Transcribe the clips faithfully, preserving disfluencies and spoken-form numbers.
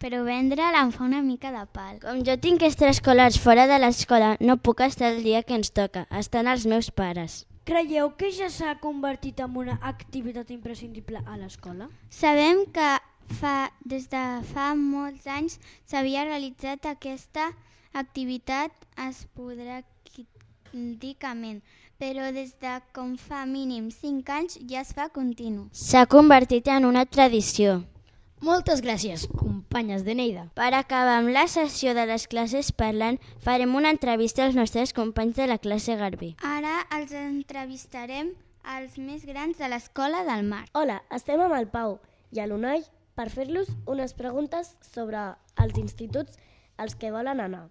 però vendre'l em fa una mica de pal. Com jo tinc extraescolars fora de l'escola, no puc estar el dia que ens toca. Estan els meus pares. Creieu que ja s'ha convertit en una activitat imprescindible a l'escola? Sabem que fa, des de fa molts anys s'havia realitzat aquesta activitat esporàdicament, però des de com fa mínim cinc anys ja es fa continu. S'ha convertit en una tradició. Moltes gràcies, companyes de Neida. Per acabar amb la sessió de les classes parlant, farem una entrevista als nostres companys de la classe Garbí. Ara els entrevistarem als més grans de l'Escola del Mar. Hola, estem amb el Pau i l'Unai per fer-los unes preguntes sobre els instituts als que volen anar.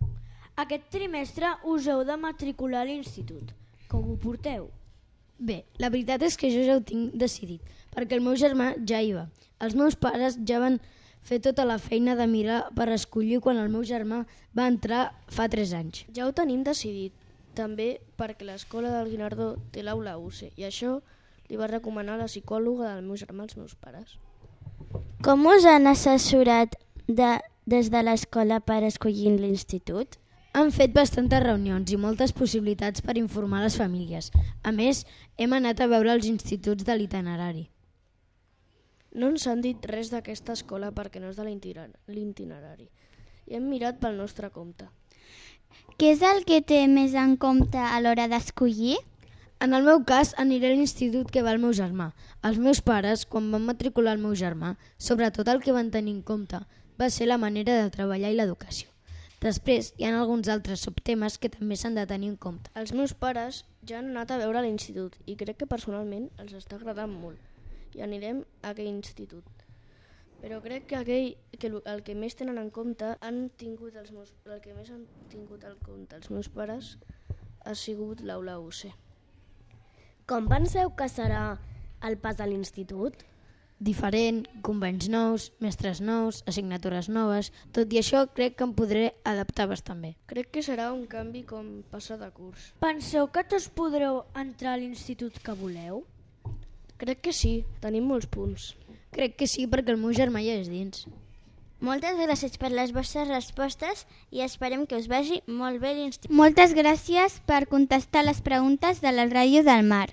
Aquest trimestre us heu de matricular a l'institut. Com ho porteu? Bé, la veritat és que jo ja ho tinc decidit, perquè el meu germà ja hi va. Els meus pares ja van fer tota la feina de mirar per escollir quan el meu germà va entrar fa tres anys. Ja ho tenim decidit, també perquè l'escola del Guinardó té l'aula U C i això li va recomanar la psicòloga del meu germà als meus pares. Com us han assessorat de, des de l'escola per escollir l'institut? Han fet bastantes reunions i moltes possibilitats per informar les famílies. A més, hem anat a veure els instituts de l'itinerari. No ens han dit res d'aquesta escola perquè no és de l'itinerari i hem mirat pel nostre compte. Què és el que té més en compte a l'hora d'escollir? En el meu cas, aniré a l'institut que va el meu germà. Els meus pares, quan van matricular el meu germà, sobretot el que van tenir en compte va ser la manera de treballar i l'educació. Després, hi ha alguns altres subtemes que també s'han de tenir en compte. Els meus pares ja han anat a veure l'institut i crec que personalment els està agradant molt i anirem a aquell institut. Però crec que, aquell, que el que més tenen en compte han tingut els meus, el que més han tingut en compte els meus pares ha sigut l'aula U C. Com penseu que serà el pas a l'institut? Diferent, convenys nous, mestres nous, assignatures noves. Tot i això, crec que em podré adaptar bastant bé. Crec que serà un canvi com passar de curs. Penseu que tots podreu entrar a l'institut que voleu? Crec que sí, tenim molts punts. Crec que sí, perquè el meu germà ja és dins. Moltes gràcies per les vostres respostes i esperem que us vagi molt bé l'institut. Moltes gràcies per contestar les preguntes de la Ràdio del Mar.